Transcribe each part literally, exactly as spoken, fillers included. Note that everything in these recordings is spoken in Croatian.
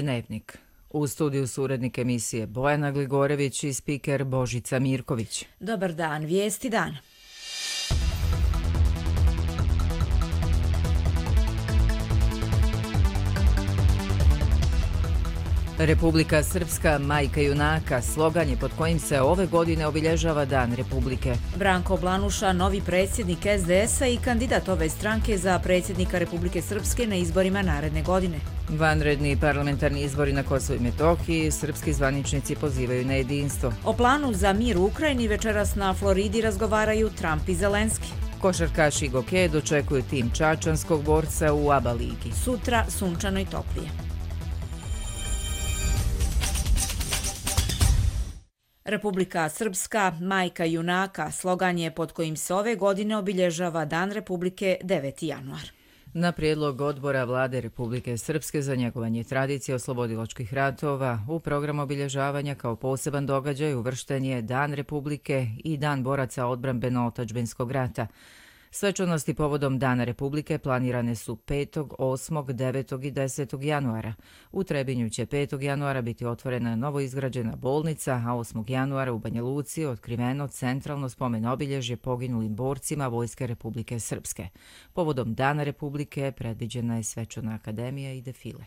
Dnevnik. U studiju su urednik emisije Bojana Gligorević i spiker Božica Mirković. Dobar dan, vijesti dan. Republika Srpska, majka junaka, slogan je pod kojim se ove godine obilježava Dan Republike. Branko Blanuša, novi predsjednik es de es a i kandidat ove stranke za predsjednika Republike Srpske na izborima naredne godine. Vanredni parlamentarni izbori na Kosovu i Metohiji, srpski zvaničnici pozivaju na jedinstvo. O planu za mir u Ukrajini večeras na Floridi razgovaraju Trump i Zelenski. Košarkaši Goke dočekuju tim čačanskog borca u A B A ligi. Sutra sunčano i toplije. Republika Srpska, majka junaka, slogan je pod kojim se ove godine obilježava Dan Republike deveti januar. Na prijedlog odbora Vlade Republike Srpske za njegovanje tradicije oslobodilačkih ratova, u program obilježavanja kao poseban događaj uvršten je Dan Republike i Dan boraca odbrambeno-otadžbinskog rata. Svečanosti povodom Dana Republike planirane su petog, osmog, devetog i desetog januara. U Trebinju će petog januara biti otvorena novoizgrađena bolnica, a osmog januara u Banja Luci otkriveno centralno spomen obilježje poginulim borcima Vojske Republike Srpske. Povodom Dana Republike predviđena je svečana akademija i defile.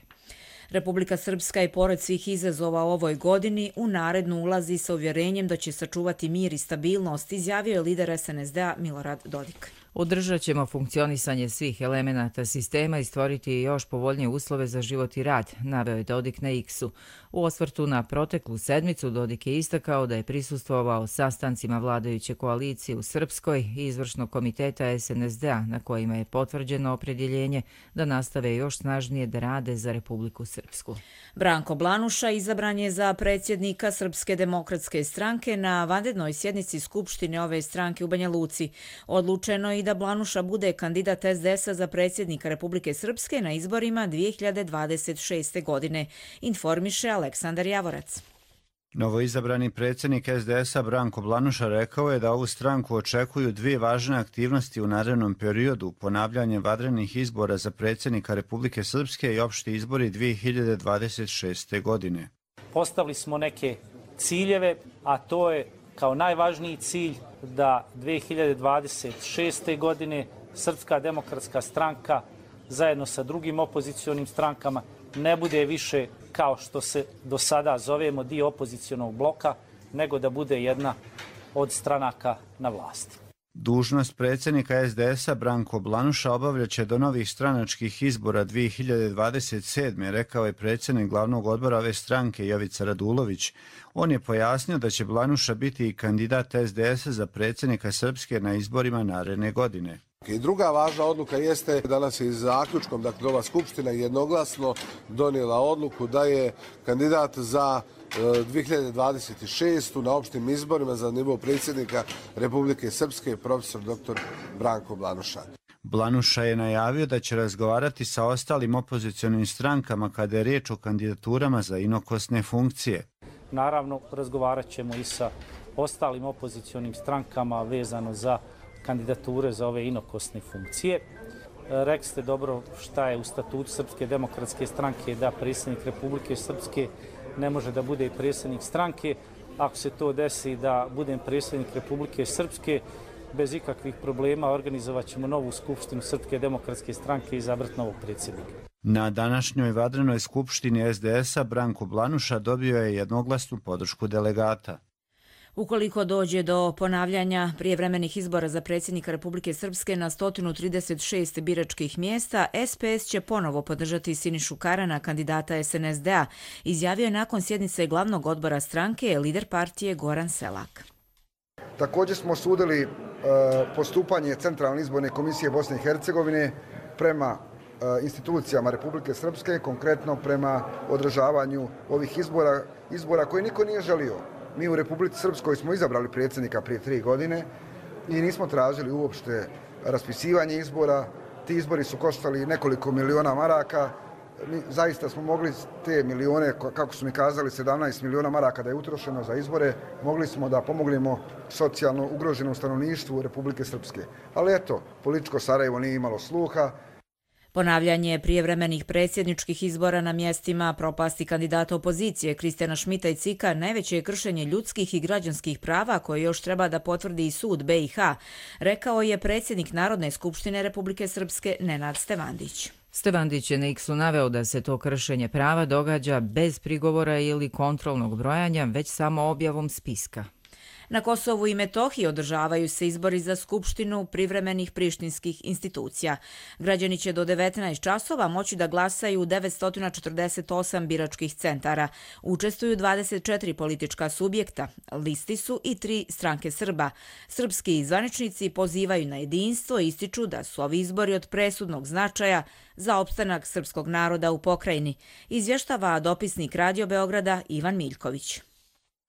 Republika Srpska i pored svih izazova u ovoj godini u narednu ulazi sa uvjerenjem da će sačuvati mir i stabilnost, izjavio je lider es en es de a Milorad Dodik. Održat ćemo funkcionisanje svih elemenata sistema i stvoriti još povoljnije uslove za život i rad, naveo je Dodik na X-u. U osvrtu na proteklu sedmicu Dodik je istakao da je prisustvovao sastancima vladajuće koalicije u Srpskoj i izvršnog komiteta es en es de a na kojima je potvrđeno opredjeljenje da nastave još snažnije da rade za Republiku Srpsku. Branko Blanuša izabran je za predsjednika Srpske demokratske stranke na vanrednoj sjednici Skupštine ove stranke u Banja Luci. Odlučeno je i da Blanuša bude kandidat es de es a za predsjednika Republike Srpske na izborima dvije hiljade dvadeset šeste. godine, informiše Aleksandar Javorac. Novoizabrani predsjednik es de es a Branko Blanuša rekao je da ovu stranku očekuju dvije važne aktivnosti u narednom periodu, ponavljanje vanrednih izbora za predsjednika Republike Srpske i opšti izbori dvije hiljade dvadeset šeste. godine. Postavili smo neke ciljeve, a to je kao najvažniji cilj da dvije hiljade dvadeset šeste. godine Srpska demokratska stranka zajedno sa drugim opozicionim strankama ne bude više kao što se do sada zovemo dio opozicionog bloka, nego da bude jedna od stranaka na vlasti. Dužnost predsjednika es de es a Branko Blanuša obavljaće do novih stranačkih izbora dvije hiljade dvadeset sedme. rekao je predsjednik glavnog odbora ove stranke Jovica Radulović. On je pojasnio da će Blanuša biti i kandidat es de es a za predsjednika Srpske na izborima naredne godine. I druga važna odluka jeste danas je zaključkom, dakle ova skupština jednoglasno donijela odluku da je kandidat za dvije hiljade dvadeset šeste. na opštim izborima za nivo predsjednika Republike Srpske profesor doktor Branko Blanuša. Blanuša je najavio da će razgovarati sa ostalim opozicionim strankama kada je riječ o kandidaturama za inokosne funkcije. Naravno, razgovarat ćemo i sa ostalim opozicionim strankama vezano za kandidature za ove inokosne funkcije. Rekli ste dobro šta je u statutu Srpske demokratske stranke da predsjednik Republike Srpske ne može da bude i predsjednik stranke. Ako se to desi da budem predsjednik Republike Srpske, bez ikakvih problema organizovat ćemo novu skupštinu Srpske demokratske stranke i izabrati novog predsjednika. Na današnjoj vanrednoj skupštini es de es a Branko Blanuša dobio je jednoglasnu podršku delegata. Ukoliko dođe do ponavljanja prijevremenih izbora za predsjednika Republike Srpske na sto trideset šest biračkih mjesta, es pe es će ponovo podržati Sinišu Karana, kandidata es en es de a, izjavio je nakon sjednice glavnog odbora stranke lider partije Goran Selak. Također smo osudili e, postupanje Centralne izborne komisije Bosne i Hercegovine prema e, institucijama Republike Srpske, konkretno prema održavanju ovih izbora, izbora koje niko nije želio. Mi u Republici Srpskoj smo izabrali predsjednika prije tri godine i nismo tražili uopšte raspisivanje izbora. Ti izbori su koštali nekoliko miliona maraka. Mi zaista smo mogli te milione, kako su mi kazali, sedamnaest miliona maraka da je utrošeno za izbore, mogli smo da pomognemo socijalno ugroženom stanovništvu Republike Srpske. Ali eto, političko Sarajevo nije imalo sluha. Ponavljanje prijevremenih predsjedničkih izbora na mjestima propasti kandidata opozicije Kristijana Šmita i Cika najveće je kršenje ljudskih i građanskih prava koje još treba da potvrdi i sud B i H, rekao je predsjednik Narodne skupštine Republike Srpske Nenad Stevandić. Stevandić je na X-u naveo da se to kršenje prava događa bez prigovora ili kontrolnog brojanja, već samo objavom spiska. Na Kosovu i Metohiji održavaju se izbori za Skupštinu privremenih prištinskih institucija. Građani će do devetnaest časova moći da glasaju u devetsto četrdeset osam biračkih centara. Učestvuju dvadeset četiri politička subjekta, listi su i tri stranke Srba. Srpski zvaničnici pozivaju na jedinstvo i ističu da su ovi izbori od presudnog značaja za opstanak srpskog naroda u pokrajini, izvještava dopisnik Radio Beograda Ivan Miljković.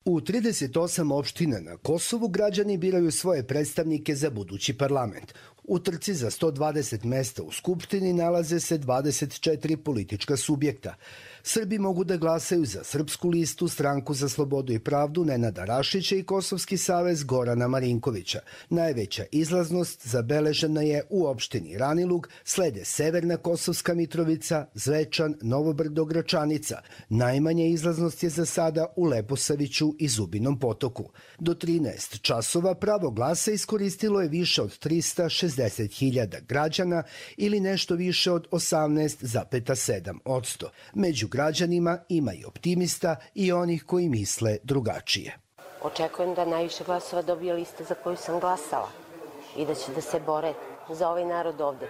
U trideset osam opština na Kosovu građani biraju svoje predstavnike za budući parlament. U trci za sto dvadeset mesta u Skupštini nalaze se dvadeset četiri politička subjekta. Srbi mogu da glasaju za Srpsku listu, Stranku za slobodu i pravdu Nenada Rašića i Kosovski savez Gorana Marinkovića. Najveća izlaznost zabeležena je u opštini Ranilug, slede Severna Kosovska Mitrovica, Zvečan, Novo Brdo, Gračanica. Najmanja izlaznost je za sada u Leposaviću i Zubinom Potoku. Do trinaest časova pravo glasa iskoristilo je više od trista šezdeset hiljada građana ili nešto više od osamnaest zarez sedam posto. Među građanima ima i optimista i onih koji misle drugačije. Očekujem da najviše glasova dobije lista za koju sam glasala i da će da se bore za ovaj narod ovde,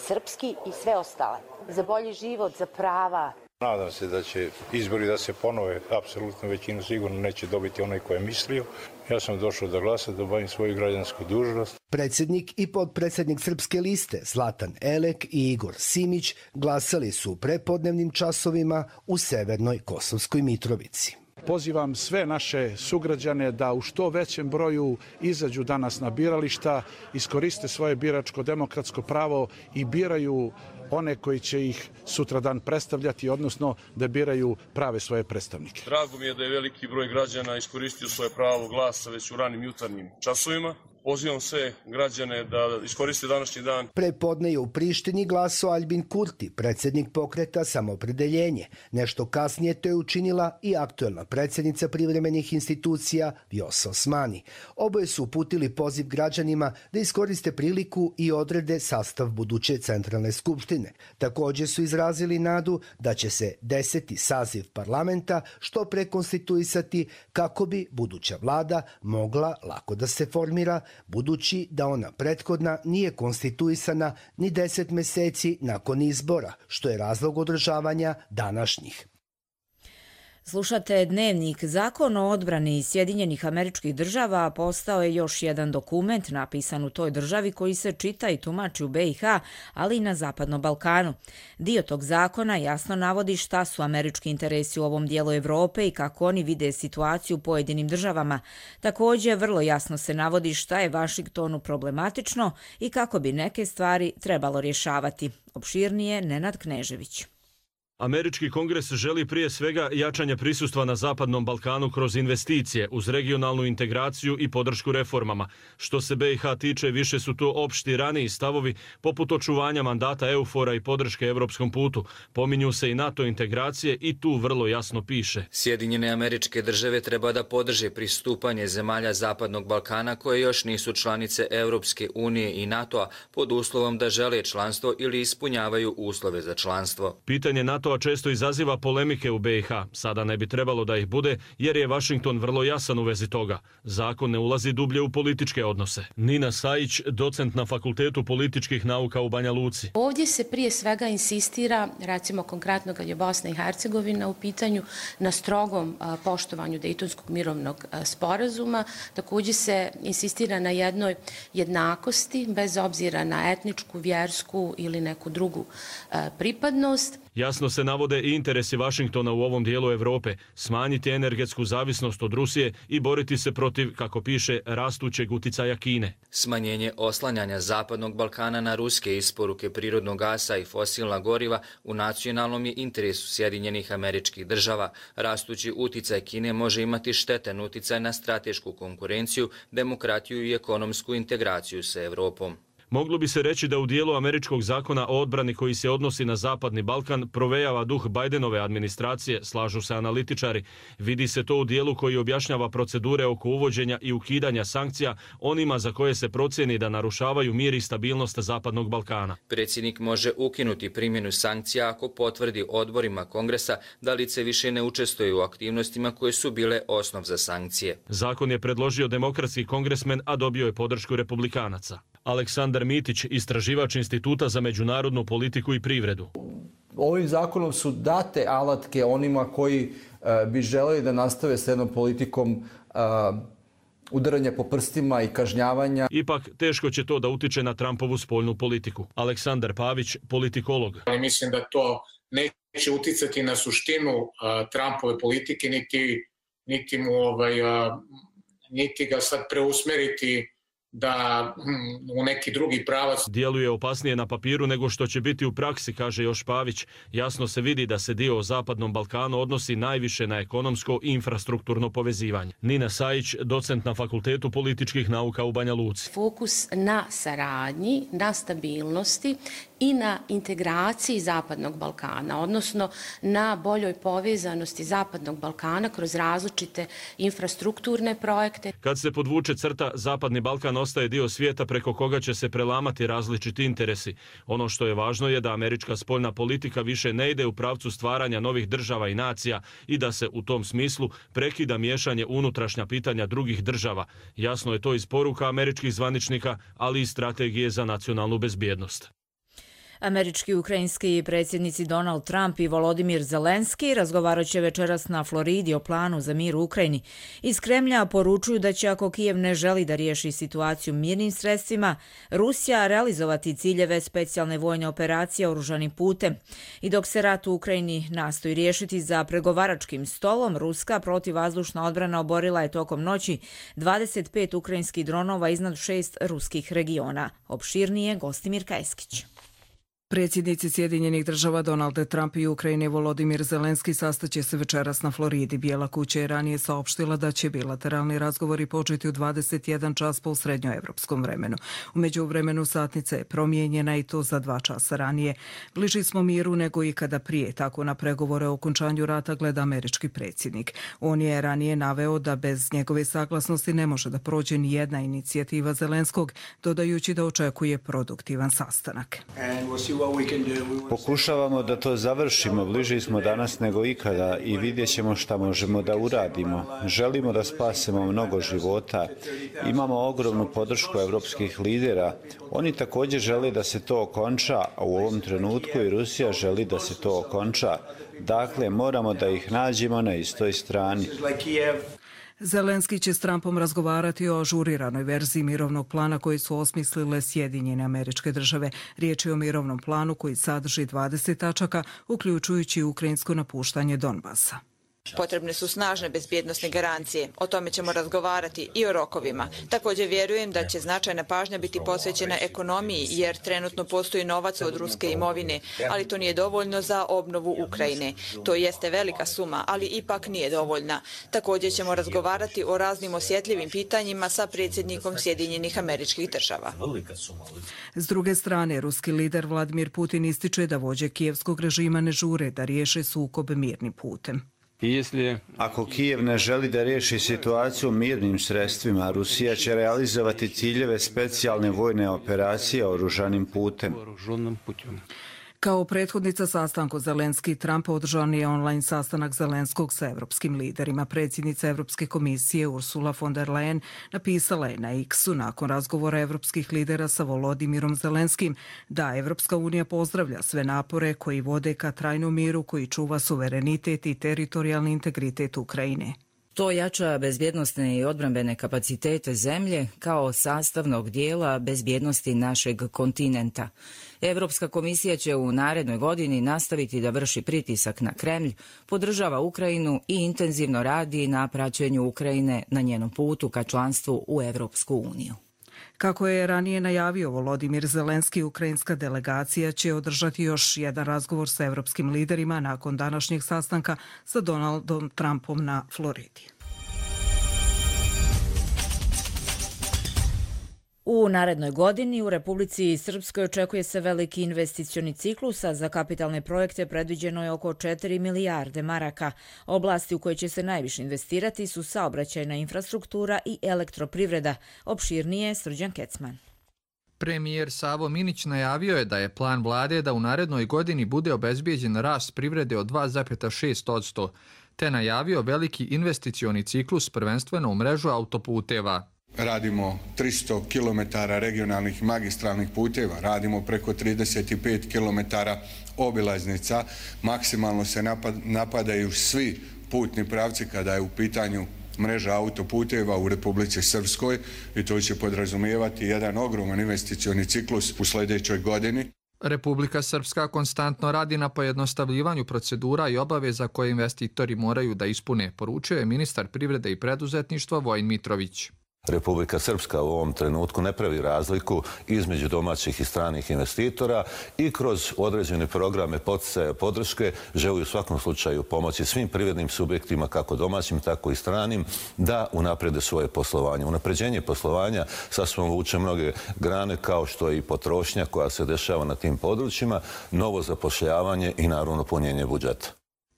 srpski i sve ostale, za bolji život, za prava. Nadam se da će izbori da se ponove, apsolutno većinu sigurno neće dobiti onaj ko je mislio. Ja sam došao da glasa, da obavim svoju građansku dužnost. Predsjednik i podpredsjednik Srpske liste Zlatan Elek i Igor Simić glasali su u prepodnevnim časovima u Severnoj Kosovskoj Mitrovici. Pozivam sve naše sugrađane da u što većem broju izađu danas na birališta, iskoriste svoje biračko demokratsko pravo i biraju one koji će ih sutradan predstavljati, odnosno da biraju prave svoje predstavnike. Drago mi je da je veliki broj građana iskoristio svoje pravo glasa već u ranim jutarnjim časovima. Pozivam sve građane da iskoriste današnji dan. Prepodne je u Prištini glasao Aljbin Kurti, predsjednik pokreta Samoopredjeljenje. Nešto kasnije to je učinila i aktuelna predsjednica privremenih institucija Vjosa Osmani. Oboje su uputili poziv građanima da iskoriste priliku i odrede sastav buduće centralne skupštine. Također su izrazili nadu da će se deseti saziv parlamenta što prekonstituisati kako bi buduća vlada mogla lako da se formira, budući da ona prethodna nije konstituisana ni deset meseci nakon izbora, što je razlog održavanja današnjih. Slušate Dnevnik. Zakon o odbrani Sjedinjenih Američkih Država postao je još jedan dokument napisan u toj državi koji se čita i tumači u B i H, ali i na Zapadnom Balkanu. Dio tog zakona jasno navodi šta su američki interesi u ovom dijelu Evrope i kako oni vide situaciju u pojedinim državama. Također, vrlo jasno se navodi šta je Vašingtonu problematično i kako bi neke stvari trebalo rješavati. Opširnije Nenad Knežević. Američki kongres želi prije svega jačanje prisustva na Zapadnom Balkanu kroz investicije, uz regionalnu integraciju i podršku reformama. Što se B i H tiče, više su to opšti raniji stavovi, poput očuvanja mandata EUFOR-a i podrške evropskom putu. Pominju se i NATO integracije i tu vrlo jasno piše. Sjedinjene Američke Države treba da podrže pristupanje zemalja Zapadnog Balkana koje još nisu članice Europske unije i NATO-a pod uslovom da žele članstvo ili ispunjavaju uslove za članstvo. Pitanje NATO a često izaziva polemike u B i H. Sada ne bi trebalo da ih bude, jer je Vašington vrlo jasan u vezi toga. Zakon ne ulazi dublje u političke odnose. Nina Sajić, docent na Fakultetu političkih nauka u Banja Luci. Ovdje se prije svega insistira, recimo konkretno kad je Bosna i Hercegovina u pitanju, na strogom poštovanju Dejtonskog mirovnog sporazuma. Također se insistira na jednoj jednakosti, bez obzira na etničku, vjersku ili neku drugu pripadnost. Jasno se navode i interesi Vašingtona u ovom dijelu Evrope, smanjiti energetsku zavisnost od Rusije i boriti se protiv, kako piše, rastućeg uticaja Kine. Smanjenje oslanjanja Zapadnog Balkana na ruske isporuke prirodnog gasa i fosilna goriva u nacionalnom je interesu Sjedinjenih Američkih Država. Rastući uticaj Kine može imati štetan uticaj na stratešku konkurenciju, demokratiju i ekonomsku integraciju sa Evropom. Moglo bi se reći da u dijelu američkog zakona o odbrani koji se odnosi na Zapadni Balkan provejava duh Bidenove administracije, slažu se analitičari. Vidi se to u dijelu koji objašnjava procedure oko uvođenja i ukidanja sankcija onima za koje se procjeni da narušavaju mir i stabilnost Zapadnog Balkana. Predsjednik može ukinuti primjenu sankcija ako potvrdi odborima Kongresa da lice više ne učestvuje u aktivnostima koje su bile osnov za sankcije. Zakon je predložio demokratski kongresmen, a dobio je podršku republikanaca. Aleksandar Mitić, istraživač Instituta za međunarodnu politiku i privredu. Ovim zakonom su date alatke onima koji uh, bi želeli da nastave s jednom politikom uh, udaranja po prstima i kažnjavanja. Ipak, teško će to da utiče na Trumpovu spoljnu politiku. Aleksandar Pavić, politikolog. Mislim da to neće uticati na suštinu uh, Trumpove politike, niti, niti, mu, ovaj, uh, niti ga sad preusmeriti da u neki drugi pravac. Djeluje opasnije na papiru nego što će biti u praksi, kaže još Pavić. Jasno se vidi da se dio o Zapadnom Balkanu odnosi najviše na ekonomsko i infrastrukturno povezivanje. Nina Sajić, docent na Fakultetu političkih nauka u Banja Luci. Fokus na saradnji, na stabilnosti i na integraciji Zapadnog Balkana, odnosno na boljoj povezanosti Zapadnog Balkana kroz različite infrastrukturne projekte. Kad se podvuče crta, Zapadni Balkan ostaje dio svijeta preko koga će se prelamati različiti interesi. Ono što je važno je da američka spoljna politika više ne ide u pravcu stvaranja novih država i nacija i da se u tom smislu prekida miješanje unutrašnja pitanja drugih država. Jasno je to iz poruka američkih zvaničnika, ali i strategije za nacionalnu bezbjednost. Američki i ukrajinski predsjednici Donald Trump i Volodimir Zelenski razgovarat će večeras na Floridi o planu za mir u Ukrajini. Iz Kremlja poručuju da će, ako Kijev ne želi da riješi situaciju mirnim sredstvima, Rusija realizovati ciljeve specijalne vojne operacije oružanim putem. I dok se rat u Ukrajini nastoji riješiti za pregovaračkim stolom, ruska protivvazdušna odbrana oborila je tokom noći dvadeset pet ukrajinskih dronova iznad šest ruskih regiona. Opširnije Gostimir Kajskić. Predsjednici Sjedinjenih država Donald Trump i Ukrajine Volodimir Zelenski sastaće se večeras na Floridi. Bijela kuća je ranije saopštila da će bilateralni razgovori početi u dvadeset jedan čas po srednjoevropskom vremenu. U međuvremenu satnica je promijenjena i to za dva časa ranije. Bliži smo miru nego ikada prije, tako na pregovore o okončanju rata gleda američki predsjednik. On je ranije naveo da bez njegove saglasnosti ne može da prođe ni jedna inicijativa Zelenskog, dodajući da očekuje produktivan sastanak. Pokušavamo da to završimo, bliži smo danas nego ikada i vidjet ćemo šta možemo da uradimo. Želimo da spasemo mnogo života. Imamo ogromnu podršku evropskih lidera. Oni također žele da se to okonča, a u ovom trenutku i Rusija želi da se to okonča. Dakle, moramo da ih nađemo na istoj strani. Zelenski će s Trumpom razgovarati o ažuriranoj verziji mirovnog plana koji su osmislile Sjedinjene Američke Države. Riječ je o mirovnom planu koji sadrži dvadeset tačaka, uključujući ukrajinsko napuštanje Donbasa. Potrebne su snažne bezbjednosne garancije. O tome ćemo razgovarati i o rokovima. Također vjerujem da će značajna pažnja biti posvećena ekonomiji, jer trenutno postoji novac od ruske imovine, ali to nije dovoljno za obnovu Ukrajine. To jeste velika suma, ali ipak nije dovoljna. Također ćemo razgovarati o raznim osjetljivim pitanjima sa predsjednikom Sjedinjenih Američkih Država. S druge strane, ruski lider Vladimir Putin ističe da vođe kijevskog režima ne žure da riješe sukob mirnim putem. Ako Kijev ne želi da riješi situaciju mirnim sredstvima, Rusija će realizovati ciljeve specijalne vojne operacije oružanim putem. Kao prethodnica sastanku Zelenski i Trump održan je online sastanak Zelenskog sa evropskim liderima. Predsjednica Evropske komisije Ursula von der Leyen napisala je na X-u nakon razgovora evropskih lidera sa Volodimirom Zelenskim da Evropska unija pozdravlja sve napore koji vode ka trajnom miru koji čuva suverenitet i teritorijalni integritet Ukrajine. To jača bezbjednosne i odbrambene kapacitete zemlje kao sastavnog dijela bezbjednosti našeg kontinenta. Evropska komisija će u narednoj godini nastaviti da vrši pritisak na Kremlj, podržava Ukrajinu i intenzivno radi na praćenju Ukrajine na njenom putu ka članstvu u Evropsku uniju. Kako je ranije najavio Volodimir Zelenski, ukrajinska delegacija će održati još jedan razgovor sa evropskim liderima nakon današnjeg sastanka sa Donaldom Trumpom na Floridi. U narednoj godini u Republici Srpskoj očekuje se veliki investicioni ciklus, a za kapitalne projekte predviđeno je oko četiri milijarde maraka. Oblasti u koje će se najviše investirati su saobraćajna infrastruktura i elektroprivreda. Opširnije Srđan Kecman. Premijer Savo Minić najavio je da je plan vlade da u narednoj godini bude obezbijeđen rast privrede od dva zarez šest posto, te najavio veliki investicioni ciklus prvenstveno u mrežu autoputeva. Radimo tristo kilometara regionalnih magistralnih puteva, radimo preko trideset pet kilometara obilaznica, maksimalno se napadaju svi putni pravci kada je u pitanju mreža autoputeva u Republici Srpskoj i to će podrazumijevati jedan ogroman investicioni ciklus u sljedećoj godini. Republika Srpska konstantno radi na pojednostavljivanju procedura i obaveza koje investitori moraju da ispune, poručio je ministar privrede i preduzetništva Vojin Mitrović. Republika Srpska u ovom trenutku ne pravi razliku između domaćih i stranih investitora i kroz određene programe poticaja podrške želi u svakom slučaju pomoći svim privrednim subjektima, kako domaćim, tako i stranim, da unaprede svoje poslovanje. Unapređenje poslovanja sasvim vuče mnoge grane, kao što je i potrošnja koja se dešava na tim područjima, novo zapošljavanje i naravno punjenje budžeta.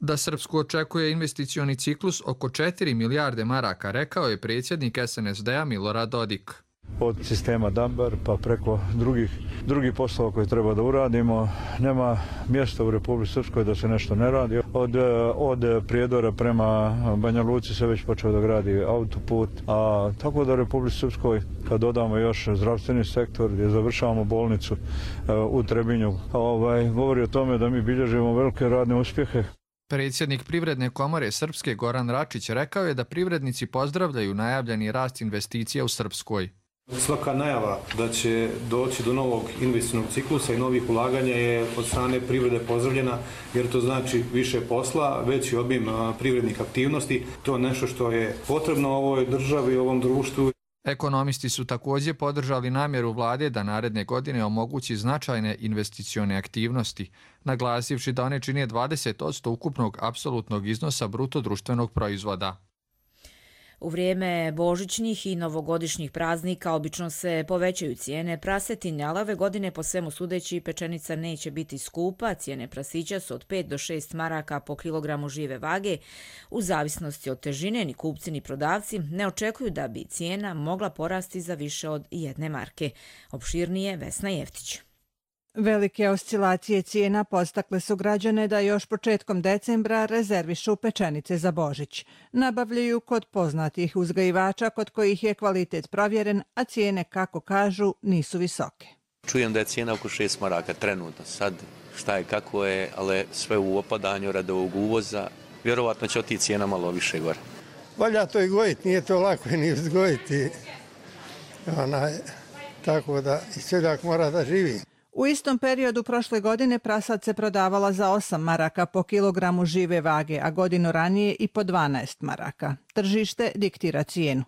Da Srpsku očekuje investicioni ciklus oko četiri milijarde maraka, rekao je predsjednik S N S D-a Milorad Dodik. Od sistema Dambar pa preko drugih, drugih poslova koje treba da uradimo, nema mjesta u Republici Srpskoj da se nešto ne radi. Od, od Prijedora prema Banja Luci se već počeo da gradi autoput, a tako da u Republici Srpskoj, kad dodamo još zdravstveni sektor gdje završavamo bolnicu u Trebinju, ovaj, govori o tome da mi bilježimo velike radne uspjehe. Predsjednik Privredne komore Srpske Goran Račić rekao je da privrednici pozdravljaju najavljeni rast investicija u Srpskoj. Svaka najava da će doći do novog investicionog ciklusa i novih ulaganja je od strane privrede pozdravljena, jer to znači više posla, veći obim privrednih aktivnosti. To je nešto što je potrebno ovoj državi i ovom društvu. Ekonomisti su također podržali namjeru vlade da naredne godine omogući značajne investicione aktivnosti, naglasivši da one čine dvadeset posto ukupnog apsolutnog iznosa bruto društvenog proizvoda. U vrijeme božićnih i novogodišnjih praznika obično se povećaju cijene prasetine, ali ove godine po svemu sudeći pečenica neće biti skupa. Cijene prasića su od pet do šest maraka po kilogramu žive vage. U zavisnosti od težine ni kupci ni prodavci ne očekuju da bi cijena mogla porasti za više od jedne marke. Opširnije Vesna Jeftić. Velike oscilacije cijena podstakle su građane da još početkom decembra rezervišu pečenice za Božić. Nabavljaju kod poznatih uzgajivača kod kojih je kvalitet provjeren, a cijene, kako kažu, nisu visoke. Čujem da je cijena oko šest maraka trenutno. Sad šta je, kako je, ali sve u opadanju radi ovog uvoza. Vjerovatno će oti cijena malo više gore. Valja to i gojiti, nije to lako ni uzgojiti. Onaj, tako da i seljak mora da živi. U istom periodu prošle godine prasad se prodavala za osam maraka po kilogramu žive vage, a godinu ranije i po dvanaest maraka. Tržište diktira cijenu.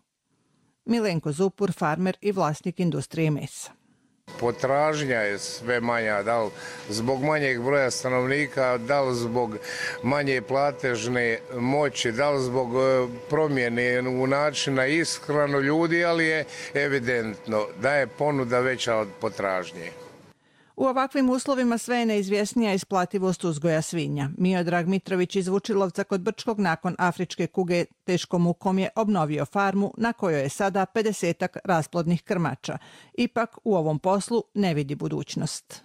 Milenko Zupur, farmer i vlasnik industrije mesa. Potražnja je sve manja, da li zbog manjeg broja stanovnika, da li zbog manje platežne moći, da li zbog promjene u načina ishranu ljudi, ali je evidentno da je ponuda veća od potražnje. U ovakvim uslovima sve je neizvjesnija isplativost uzgoja svinja. Miodrag Mitrović iz Vučilovca kod Brčkog nakon afričke kuge teškom mukom je obnovio farmu na kojoj je sada pedesetak rasplodnih krmača. Ipak u ovom poslu ne vidi budućnost.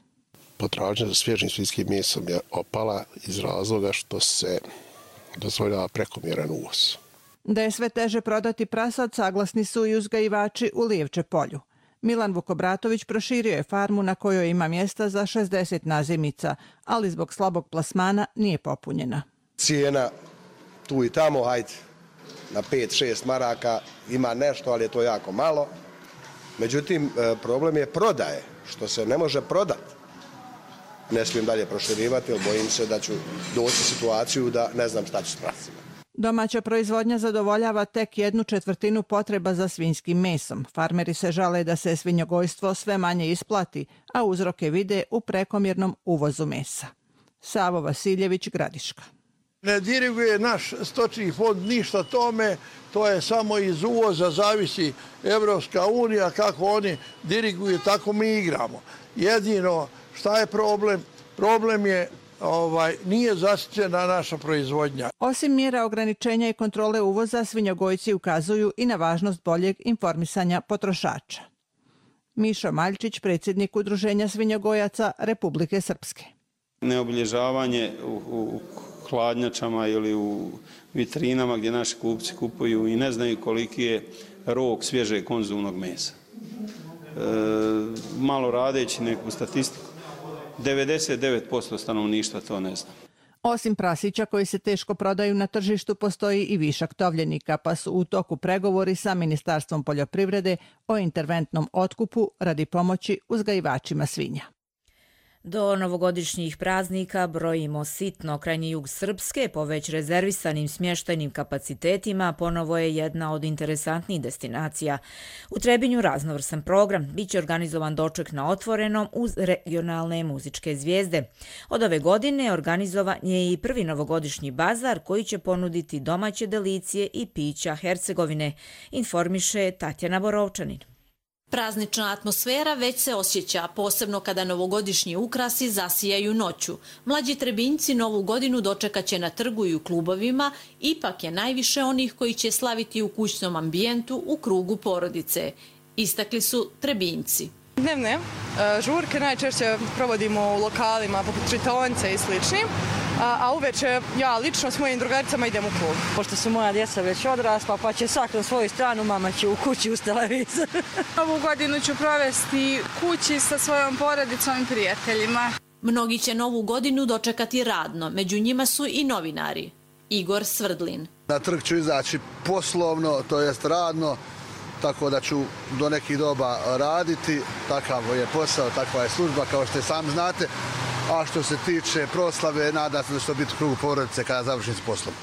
Potražnja za svježim svinjskim mesom je opala iz razloga što se dozvoljava prekomjeran uvoz. Da je sve teže prodati prasad, saglasni su i uzgajivači u Lijevče polju. Milan Vukobratović proširio je farmu na kojoj ima mjesta za šezdeset nazimica, ali zbog slabog plasmana nije popunjena. Cijena tu i tamo, hajde, na pet šest maraka ima nešto, ali je to jako malo. Međutim, problem je prodaje, što se ne može prodati. Ne smijem dalje proširivati, jer bojim se da ću doći u situaciju da ne znam šta ću s prasima. Domaća proizvodnja zadovoljava tek jednu četvrtinu potreba za svinjskim mesom. Farmeri se žale da se svinjogojstvo sve manje isplati, a uzroke vide u prekomjernom uvozu mesa. Savo Vasiljević, Gradiška. Ne diriguje naš stočni fond ništa tome, to je samo iz uvoza, zavisi Evropska unija, kako oni diriguju, tako mi igramo. Jedino šta je problem? Problem je Ovaj, nije zasićena naša proizvodnja. Osim mjera ograničenja i kontrole uvoza, svinjogojci ukazuju i na važnost boljeg informisanja potrošača. Mišo Maljčić, predsjednik Udruženja svinjogojaca Republike Srpske. Neobilježavanje u, u hladnjačama ili u vitrinama gdje naši kupci kupuju i ne znaju koliki je rok svježeg konzumnog mesa. E, malo radeći neku statistiku, devedeset devet posto stanovništva to ne zna. Osim prasića koji se teško prodaju na tržištu, postoji i višak tovljenika, pa su u toku pregovori sa Ministarstvom poljoprivrede o interventnom otkupu radi pomoći uzgajivačima svinja. Do novogodišnjih praznika brojimo sitno. Krajnji jug Srpske po već rezervisanim smještajnim kapacitetima ponovo je jedna od interesantnijih destinacija. U Trebinju raznovrsan program. Biće organizovan doček na otvorenom uz regionalne muzičke zvijezde. Od ove godine organizovan je i prvi novogodišnji bazar koji će ponuditi domaće delicije i pića Hercegovine, informiše Tatjana Borovčanin. Praznična atmosfera već se osjeća, posebno kada novogodišnji ukrasi zasijaju noću. Mlađi Trebinjci novu godinu dočekaće na trgu i u klubovima, ipak je najviše onih koji će slaviti u kućnom ambijentu u krugu porodice. Istakli su Trebinjci. Dnevne žurke najčešće provodimo u lokalima poput Čitaonce i sličnim, a uveče ja lično s mojim drugaricama idem u klub. Pošto su moja djeca već odrasla, pa će svak na svoju stranu, mama će u kući uz televizor. Ovu godinu ću provesti kući sa svojom porodicom i prijateljima. Mnogi će novu godinu dočekati radno, među njima su i novinari. Igor Svrdlin. Na trg ću izaći poslovno, to jest radno, tako da ću do nekih doba raditi. Takav je posao, takva je služba, kao što i sami znate. A što se tiče proslave, nadam se da će to biti u krugu porodice kada završim s poslom.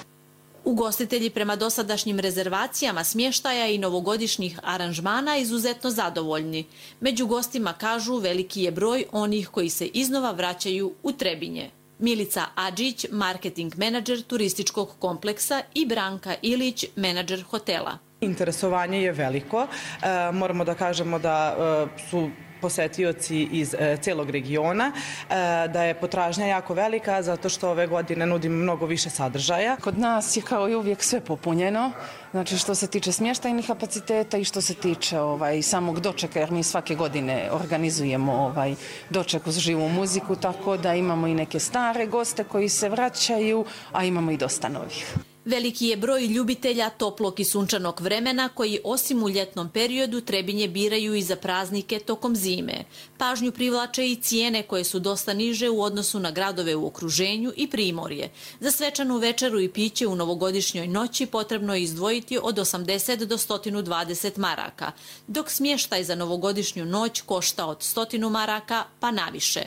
Ugostitelji prema dosadašnjim rezervacijama smještaja i novogodišnjih aranžmana izuzetno zadovoljni. Među gostima kažu veliki je broj onih koji se iznova vraćaju u Trebinje. Milica Adžić, marketing menadžer turističkog kompleksa, i Branka Ilić, menadžer hotela. Interesovanje je veliko. E, moramo da kažemo da e, su posetioci iz e, celog regiona, e, da je potražnja jako velika zato što ove godine nudimo mnogo više sadržaja. Kod nas je kao i uvijek sve popunjeno, znači što se tiče smještajnih kapaciteta i što se tiče ovaj, samog dočeka, jer mi svake godine organizujemo ovaj, doček uz živu muziku, tako da imamo i neke stare goste koji se vraćaju, a imamo i dosta novih. Veliki je broj ljubitelja toplog i sunčanog vremena koji osim u ljetnom periodu Trebinje biraju i za praznike tokom zime. Pažnju privlače i cijene koje su dosta niže u odnosu na gradove u okruženju i primorje. Za svečanu večeru i piće u novogodišnjoj noći potrebno je izdvojiti od osamdeset do sto dvadeset maraka, dok smještaj za novogodišnju noć košta od sto maraka pa naviše.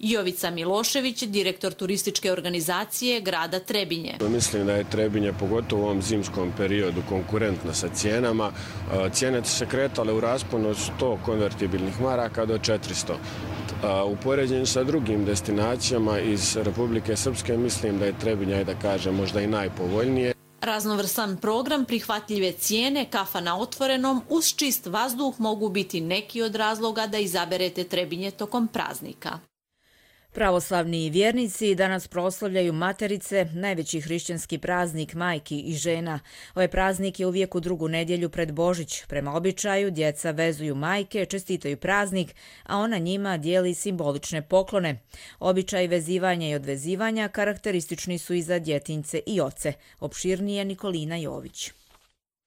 Jovica Milošević, direktor turističke organizacije grada Trebinje. Mislim da je Trebinje, pogotovo u ovom zimskom periodu, konkurentno sa cijenama. Cijene su se kretale u rasponu od sto konvertibilnih maraka do četiristo. U poređenju sa drugim destinacijama iz Republike Srpske mislim da je Trebinje, da kažem, možda i najpovoljnije. Raznovrsan program, prihvatljive cijene, kafa na otvorenom uz čist vazduh mogu biti neki od razloga da izaberete Trebinje tokom praznika. Pravoslavni vjernici danas proslavljaju Materice, najveći hrišćanski praznik majki i žena. Ovaj praznik je uvijek u drugu nedjelju pred Božić. Prema običaju, djeca vezuju majke, čestitaju praznik, a ona njima dijeli simbolične poklone. Običaj vezivanja i odvezivanja karakteristični su i za djetinjce i oce. Opširnije Nikolina Jović.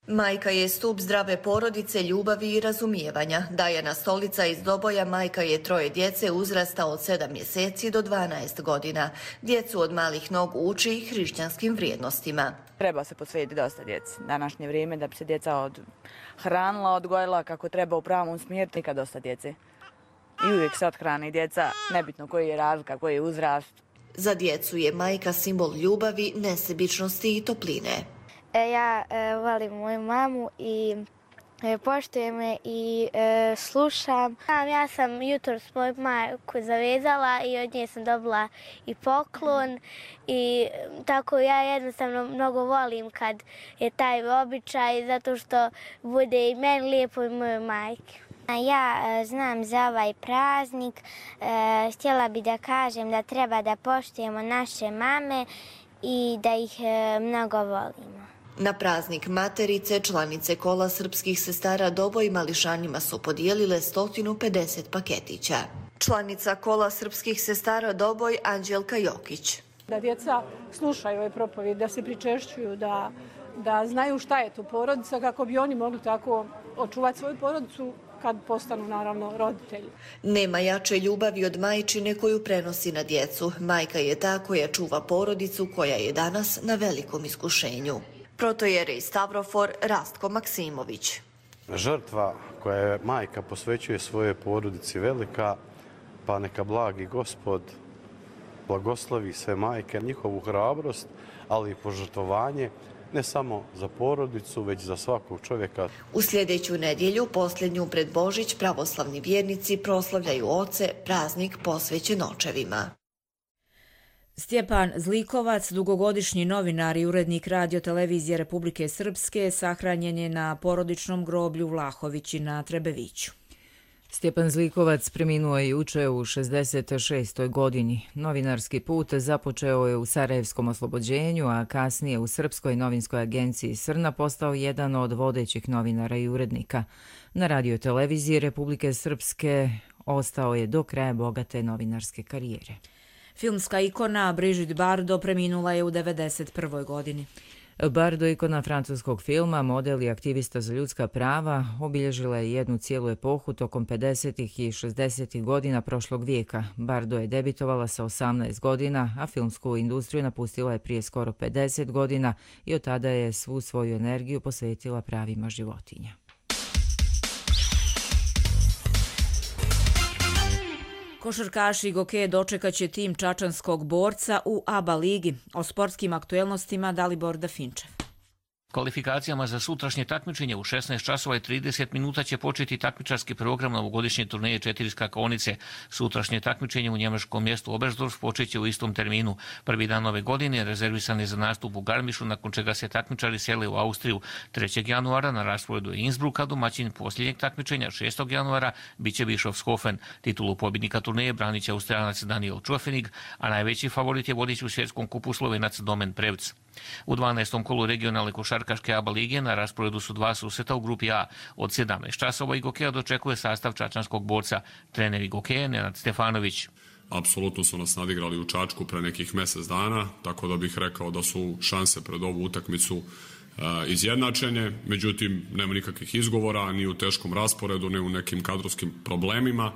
Majka je stup zdrave porodice, ljubavi i razumijevanja. Dajana Stolica iz Doboja majka je troje djece uzrasta od sedam mjeseci do dvanaest godina. Djecu od malih nogu uči hrišćanskim vrijednostima. Treba se posvetiti dosta djeci. Današnje vrijeme da bi se djeca odhranila, odgojila kako treba u pravom smjeru, nikad dosta djece. I uvijek se odhrani djeca, nebitno koji je razlika, koji je uzrast. Za djecu je majka simbol ljubavi, nesebičnosti i topline. Ja e, volim moju mamu i poštujem je i e, slušam. Ja sam jutros moju majku zavezala i od nje sam dobila i poklon i tako ja jednostavno mnogo volim kad je taj običaj zato što bude i meni lijepo i mojoj majki. Ja e, znam za ovaj praznik. E, htjela bi da kažem da treba da poštujemo naše mame i da ih e, mnogo volimo. Na praznik Materice članice Kola srpskih sestara Doboj mališanima su podijelile sto pedeset paketića. Članica Kola srpskih sestara Doboj Anđelka Jokić. Da djeca slušaju ove propovjede, da se pričešćuju, da, da znaju šta je to porodica kako bi oni mogli tako očuvati svoju porodicu kad postanu naravno roditelji. Nema jače ljubavi od majčine koju prenosi na djecu. Majka je ta koja čuva porodicu koja je danas na velikom iskušenju. Protojerej Stavrofor Rastko Maksimović. Žrtva koja majka posvećuje svoje porodici velika, pa neka blagi Gospod blagoslovi sve majke, njihovu hrabrost, ali i požrtvovanje, ne samo za porodicu, već za svakog čovjeka. U sljedeću nedjelju, posljednju pred Božić, pravoslavni vjernici proslavljaju oce, praznik posvećen očevima. Stjepan Zlikovac, dugogodišnji novinar i urednik Radio-televizije Republike Srpske, sahranjen je na porodičnom groblju Vlahovići na Trebeviću. Stjepan Zlikovac preminuo je juče u šezdeset šestoj godini. Novinarski put započeo je u Sarajevskom oslobođenju, a kasnije u Srpskoj novinskoj agenciji Srna postao jedan od vodećih novinara i urednika. Na Radio-televiziji Republike Srpske ostao je do kraja bogate novinarske karijere. Filmska ikona Brigitte Bardot preminula je u devedeset prvoj godini. Bardot, ikona francuskog filma, model i aktivista za ljudska prava, obilježila je jednu cijelu epohu tokom pedesetih i šezdesetih godina prošlog vijeka. Bardot je debitovala sa osamnaest godina, a filmsku industriju napustila je prije skoro pedeset godina i od tada je svu svoju energiju posvetila pravima životinja. Košarkaši Gokeje dočekat će tim čačanskog borca u A B A ligi. O sportskim aktuelnostima Dalibor Dafinčev. Kvalifikacijama za sutrašnje takmičenje u šesnaest časova i trideset minuta će početi takmičarski program novogodišnje turneje četiri skakaonice. Sutrašnje takmičenje u njemačkom mjestu Oberstdorf počeće u istom terminu. Prvi dan ove godine rezervisan je za nastup u Garmišu, nakon čega se takmičari sele u Austriju. trećeg januara na rasporedu je Innsbruck, a domaćin posljednjeg takmičenja šestog januara biće Bischofshofen. Titulu pobjednika turneje branit će Australac Daniel Čofenig, a najveći favorit je vodič u svjetskom kupu Slovenac Domen Prevc. U dvanaestom kolu regionalne košarkaške A B A lige na rasporedu su dva susreta u grupi A. Od sedamnaest časova i Gokeja dočekuje sastav čačanskog borca. Trener i Gokeje Nenad Stefanović. Apsolutno su nas nadigrali u Čačku pre nekih mjesec dana, tako da bih rekao da su šanse pred ovu utakmicu izjednačenje. Međutim, nema nikakvih izgovora ni u teškom rasporedu, ni u nekim kadrovskim problemima.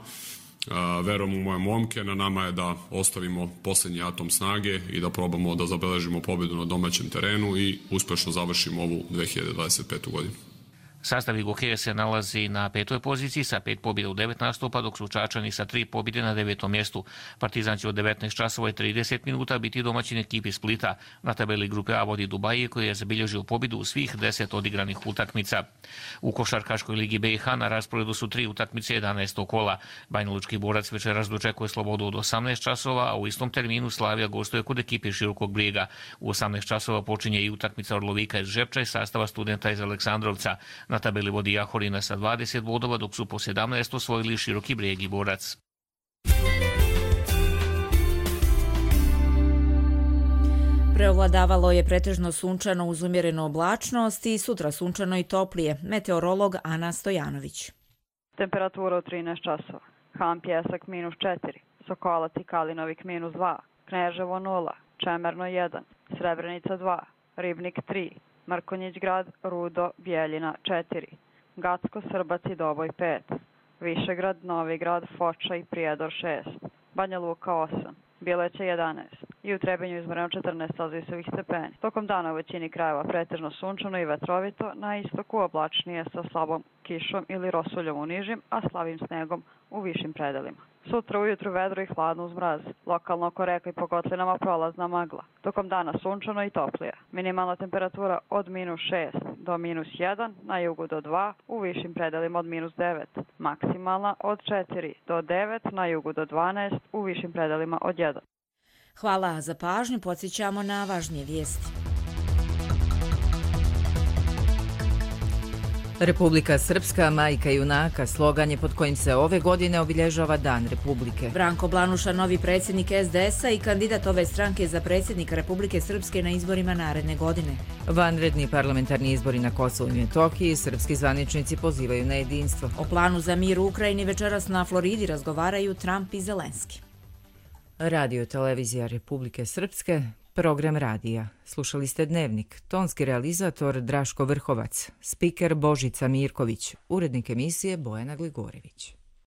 Verujem u moje momke, na nama je da ostavimo posljednji atom snage i da probamo da zabeležimo pobjedu na domaćem terenu i uspješno završimo ovu dve hiljade dvadeset petu godinu. Sastav Gokeje se nalazi na petoj poziciji sa pet pobjeda u devet nastupa, dok su Čačani sa tri pobjede na devetom mjestu. Partizan će od devetnaest časova i trideset minuta biti domaćin ekipi Splita. Na tabeli grupe A vodi Dubaije, koji je zabilježio pobjedu u svih deset odigranih utakmica. U košarkaškoj ligi B i H na rasporedu su tri utakmice jedanaestog kola. Banjalučki borac večeras dočekuje Slobodu od osamnaest časova, a u istom terminu Slavija gostuje kod ekipe Širokog Brijega. U osamnaest časova počinje i utakmica Orlovika iz Žepča i sastava Studenta iz Aleksandrovca. Na tabeli vodi Jahorina sa dvadeset bodova, dok su po sedamnaest osvojili Široki Brijeg i Borac. Preovladavalo je pretežno sunčano uz umjerenu oblačnost i sutra sunčano i toplije. Meteorolog Ana Stojanović. Temperatura od trinaest časova. Han Pjesak minus četiri, Sokolac i Kalinovik minus dva, Kneževo nula, Čemerno jedan, Srebrenica dva, Ribnik tri, Mrkonjić grad, Rudo, Bijeljina četiri, Gacko, Srbac i Doboj pet, Višegrad, Novi grad, Foča i Prijedor šest, Banja Luka osam, Bileće jedanaest, i u Trebinju izmjereno četrnaest Celzijusovih stepeni. Tokom dana u većini krajeva pretežno sunčano i vetrovito, na istoku oblačnije sa slabom kišom ili rosuljom u nižim, a slabim snegom u višim predelima. Sutra ujutru vedro i hladno uz mraz. Lokalno oko reka i po kotlinama prolazna magla. Tokom dana sunčano i toplije. Minimalna temperatura od minus šest do minus jedan, na jugu do dva, u višim predelima od minus devet. Maksimalna od četiri do devet, na jugu do dvanaest, u višim predelima od jedan. Hvala za pažnju, podsjećamo na važnije vijesti. Republika Srpska, majka junaka, slogan je pod kojim se ove godine obilježava Dan Republike. Branko Blanuša, novi predsjednik es de es a i kandidat ove stranke za predsjednika Republike Srpske na izborima naredne godine. Vanredni parlamentarni izbori na Kosovu i Metohiji, srpski zvaničnici pozivaju na jedinstvo. O planu za mir u Ukrajini večeras na Floridi razgovaraju Trump i Zelenski. Radio televizija Republike Srpske, program radija. Slušali ste Dnevnik, tonski realizator Draško Vrhovac, spiker Božica Mirković, urednik emisije Bojana Gligorević.